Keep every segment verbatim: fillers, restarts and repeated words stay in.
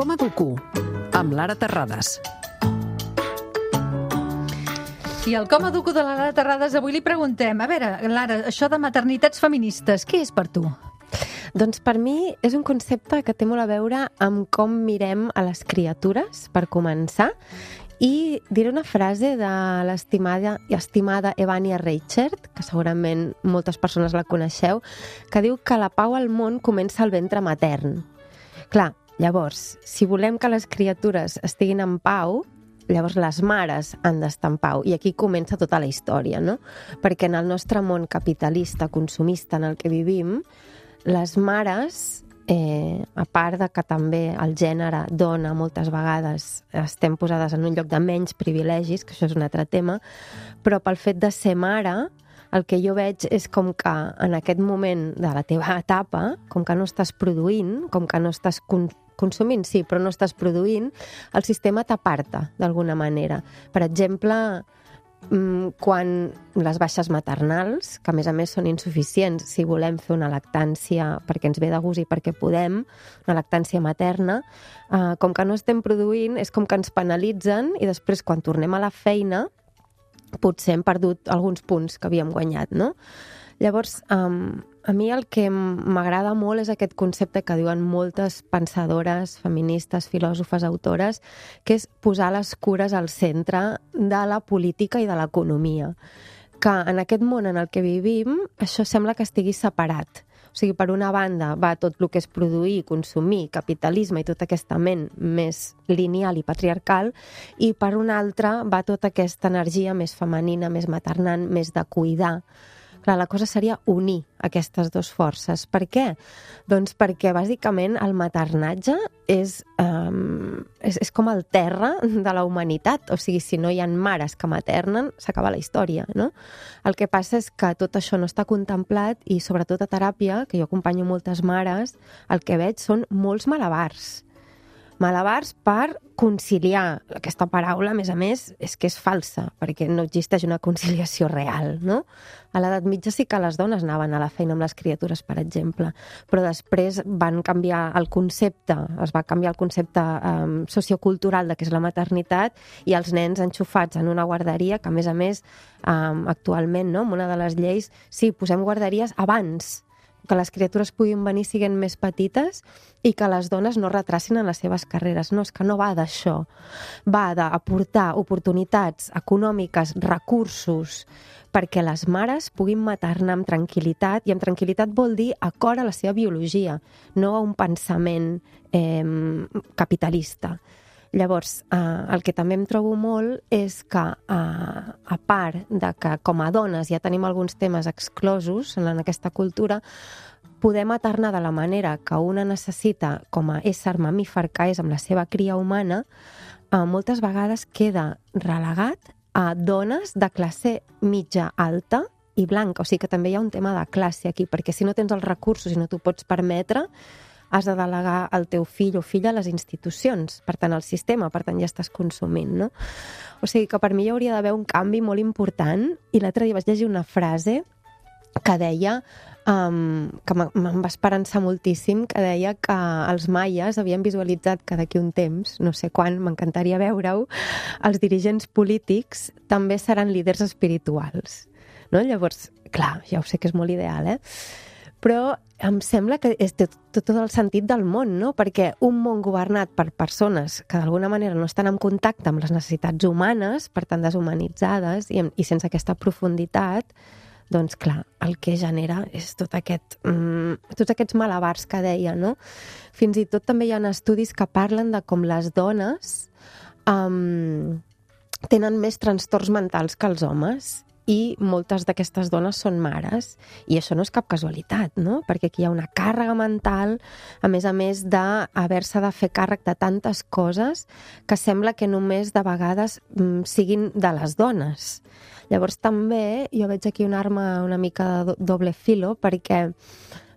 Com educo? Amb Lara Terrades. I al Com educo de la Lara Terrades avui li preguntem, a veure, Lara, això de maternitats feministes, què és per tu? Doncs per mi és un concepte que té molt a veure amb com mirem a les criatures, per començar, i diré una frase de l'estimada i estimada Evania Reichert, que segurament moltes persones la coneixeu, que diu que la pau al món comença al ventre matern. Clar, llavors, si volem que les criatures estiguin en pau, llavors les mares han d'estar en pau. I aquí comença tota la història, no? Perquè en el nostre món capitalista, consumista en el que vivim, les mares, eh, a part de que també el gènere dona moltes vegades estem posades en un lloc de menys privilegis, que això és un altre tema, però pel fet de ser mare, el que jo veig és com que en aquest moment de la teva etapa, com que no estàs produint, com que no estàs consumint, sí, però no estàs produint, el sistema t'aparta d'alguna manera. Per exemple, quan les baixes maternals, que a més a més són insuficients si volem fer una lactància perquè ens ve de gust i perquè podem, una lactància materna, eh, com que no estem produint, és com que ens penalitzen i després quan tornem a la feina potser hem perdut alguns punts que havíem guanyat, no? Llavors, um, a mi el que m'agrada molt és aquest concepte que diuen moltes pensadores, feministes, filòsofes, autores, que és posar les cures al centre de la política i de l'economia. Que en aquest món en el que vivim, això sembla que estigui separat. O sigui, per una banda va tot el que és produir, consumir, capitalisme i tota aquesta ment més lineal i patriarcal, i per una altra va tota aquesta energia més femenina, més maternant, més de cuidar. Clar, la cosa seria unir aquestes dues forces. Per què? Doncs perquè, bàsicament, el maternatge és, um, és, és com el terra de la humanitat. O sigui, si no hi ha mares que maternen, s'acaba la història, no? El que passa és que tot això no està contemplat i, sobretot a teràpia, que jo acompanyo moltes mares, el que veig són molts malabars. Malabars per conciliar. Aquesta paraula, a més a més, és que és falsa, perquè no existeix una conciliació real, no? A l'edat mitja sí que les dones anaven a la feina amb les criatures, per exemple, però després van canviar el concepte, es va canviar el concepte um, sociocultural de què és la maternitat i els nens enxufats en una guarderia, que a més a més, um, actualment, no? Amb una de les lleis, sí, posem guarderies abans, que les criatures puguin venir siguent més petites i que les dones no retracin en les seves carreres. No, és que no va d'això. Va d'aportar oportunitats econòmiques, recursos, perquè les mares puguin maternar amb tranquil·litat, i amb tranquil·litat vol dir acord a la seva biologia, no a un pensament eh, capitalista. Llavors, eh, el que també em trobo molt és que, eh, a part de que com a dones ja tenim alguns temes exclosos en aquesta cultura, poder maternar de la manera que una necessita com a ésser mamífer que és amb la seva cria humana, eh, moltes vegades queda relegat a dones de classe mitja alta i blanca. O sigui que també hi ha un tema de classe aquí, perquè si no tens els recursos i no t'ho pots permetre, has de delegar el teu fill o filla a les institucions, per tant al sistema, per tant ja estàs consumint, no? O sigui que per mi hi hauria d'haver un canvi molt important, i l'altre dia vaig llegir una frase que deia, um, que me'n va esperançar moltíssim, que deia que els maies havien visualitzat que d'aquí un temps, no sé quan, m'encantaria veure-ho, els dirigents polítics també seran líders espirituals, no? Llavors, clar, ja ho sé que és molt ideal, eh? Però em sembla que és tot, tot el sentit del món, no? Perquè un món governat per persones que d'alguna manera no estan en contacte amb les necessitats humanes, per tant deshumanitzades i, i sense aquesta profunditat, doncs clar, el que genera és tot aquest, mm, tots aquests malabars que deia, no? Fins i tot també hi ha estudis que parlen de com les dones um, tenen més trastorns mentals que els homes, i moltes d'aquestes dones són mares, i això no és cap casualitat, no? Perquè aquí hi ha una càrrega mental, a més a més d'haver-se de fer càrrec de tantes coses que sembla que només de vegades mm, siguin de les dones. Llavors també jo veig aquí una arma una mica de doble filo, perquè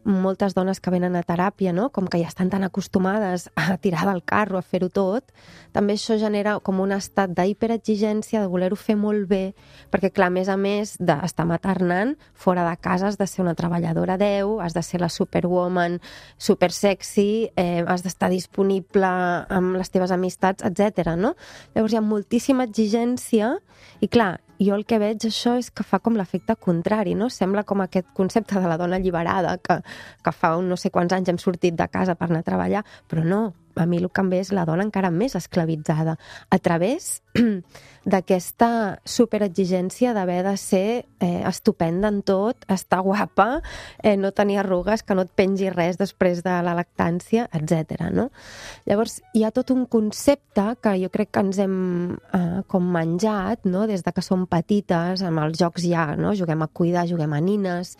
moltes dones que venen a teràpia, no? Com que ja estan tan acostumades a tirar del carro, a fer-ho tot, també això genera com un estat d'hiperexigència, de voler-ho fer molt bé, perquè, clar, a més a més d'estar maternant, fora de casa has de ser una treballadora deu, has de ser la superwoman, super sexy, eh, has d'estar disponible amb les teves amistats, etcètera, no? Llavors hi ha moltíssima exigència i, clar, jo el que veig això és que fa com l'efecte contrari, no? Sembla com aquest concepte de la dona alliberada, que, que fa un no sé quants anys hem sortit de casa per anar a treballar, però no, a mi el que em ve és la dona encara més esclavitzada, a través d'aquesta superexigència d'haver de ser eh, estupenda en tot, estar guapa, eh, no tenir arrugues, que no et pengi res després de la lactància, etcètera, no? Llavors, hi ha tot un concepte que jo crec que ens hem eh, com menjat, no? Des de que som petites, amb els jocs ja, no? Juguem a cuidar, juguem a nines,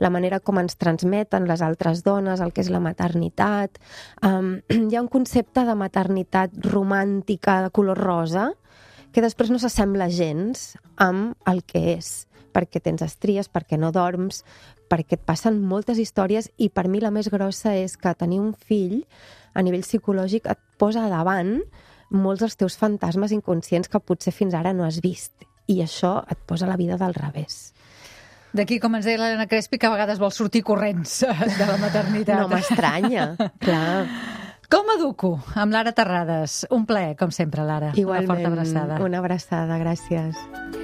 la manera com ens transmeten les altres dones, el que és la maternitat. Um, hi ha un concepte de maternitat romàntica de color rosa que després no s'assembla gens amb el que és, perquè tens estries, perquè no dorms, perquè et passen moltes històries i per mi la més grossa és que tenir un fill a nivell psicològic et posa davant molts dels teus fantasmes inconscients que potser fins ara no has vist i això et posa la vida del revés. D'aquí, com ens deia l'Helena Crespi, que a vegades vol sortir corrents de la maternitat. No m'estranya, clar. Com educo? Amb Lara Terrades. Un plaer, com sempre, Lara. Igualment, una forta abraçada. Una abraçada, gràcies.